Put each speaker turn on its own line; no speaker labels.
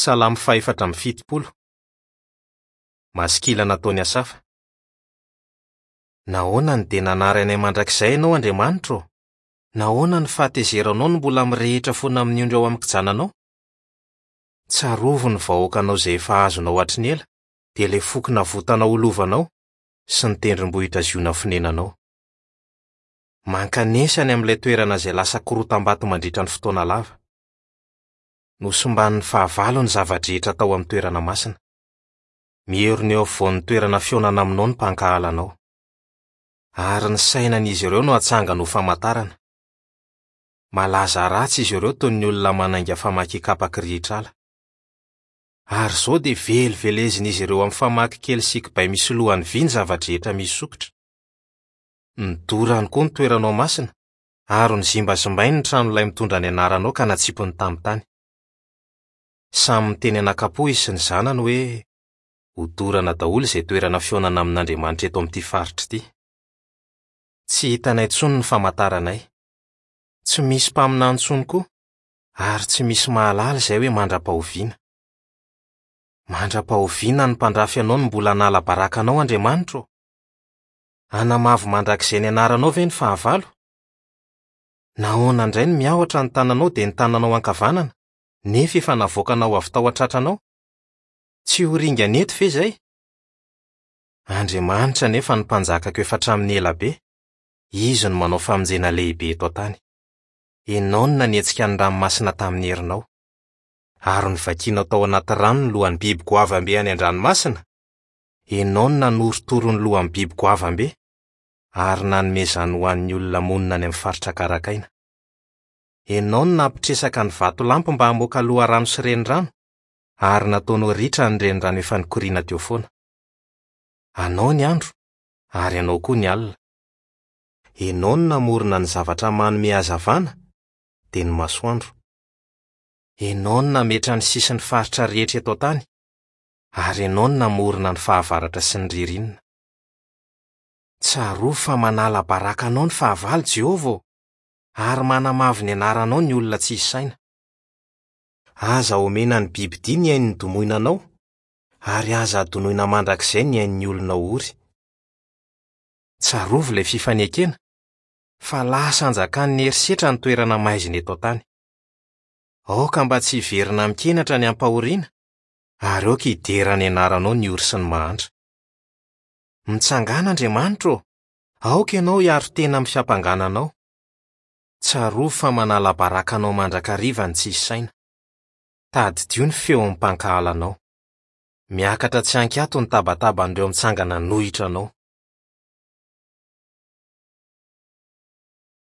Salamo faha-74. Maskila nataon'i Asafa. Nahoana no dia nanary anay mandrakizay Ianao, Andriamanitra ô? Nahoana ny fahatezeranao no mbola mirehitra foana amin'ny ondry ao amin'ny kijananao? Tsarovy ny vahoakanao izay efa azonao hatry ny ela, dia ilay foko navotanao ho lovanao, sy ny tendrombohitra Ziona fonenanao. Mankanesa any amin'ilay toerana izay lasa korotam-bato mandritra ny fotoana lava. Nosimban'ny fahavalo ny zava-drehetra tao amin'ny toerana masina. Mierona eo afovoan'ny toerana fihaonana aminao ny mpankahala anao. Ary ny sainan'izy ireo no atsangany ho famantarana. Malaza ratsy izy ireo toy ny olona manainga famaky hikapa kirihitr'ala. Ary izao dia velivelezin'izy ireo amin'ny famaky kely sy kibay misy lohany vy ny zava-drehetra misy sokitra. Nodorany koa ny toeranao masina, ary nozimbazimbainy ny tranolay mitondra ny anaranao ka natsipiny tamin'ny tany. Samy miteny anakapo izy sy ny zanany hoe, Hodorana daholo izay toerana fihaonana amin'Andriamanitra eto amin'ity faritra ity. Tsy hitanay intsony ny famantaranay. Tsy misy mpaminany intsony koa, ary tsy misy mahalala izay hoe mandra-pahoviana. Mandra-pahoviana ny mpandrafy anao no mbola hanala baraka anao, Andriamanitra ô? Hanamavo mandrakizay ny anaranao ve ny fahavalo? Nahoana indray no miahotra ny tananao dia ny tananao ankavanana, nefa efa navoakanao avy tao an-tratranao? Tsy ho ringana eto ve izay? Andriamanitra anefa no Mpanjakako efa hatramin'ny ela be, Izy no manao famonjena lehibe eto an-tany. Ianao no nanetsika ny ranomasina tamin'ny herinao. Ary novakianao tao anaty rano ny lohan'ny biby goavam-be any an-dranomasina, Ianao no nanorotoro ny lohan'ny biby goavam-be, ary nanome izany ho an'ny olona monina any amin'ny faritra karakaina. Ianao no nampitresaka ny vatolampy mba hamoaka loharano sy renirano, ary nataonao ritra ny renirano efa nikoriana teo foana. Anao ny andro, ary anao koa ny alina. Ianao no namorona ny zavatra manome hazavana, dia ny masoandro. Ianao no nametra ny sisin'ny faritra rehetra eto an-tany, ary ianao no namorona ny fahavaratra sy ny ririnina. Tsarovy fa manala baraka anao ny fahavalo, Jehovah ô, ary manamavo ny anaranao ny olona tsisy saina. Aza omena ny bibidia ny ain'ny domoina anao, ary aza adonoina mandrakizay ny ain'ny olona ory. Tsarovy ilay fifanekena, fa lasa anjakan'ny herisetra ny toerana maizina eto an-tany. Aoka mba tsy hiverina amin-kenatra ny ampahoriana, ary aoka hidera ny anaranao ny ory sy ny mahantra. Mitsangàna, Andriamanitra ô! Aoka ianao hiaro tena amin'ny fiampangana anao. Tsarovy fa manala baraka anao mandrakariva ny tsisy saina. Tadidio ny feon'ny mpankahala anao. Miakatra tsy an-kiato ny tabataban'ireo mitsangana hanohitra anao.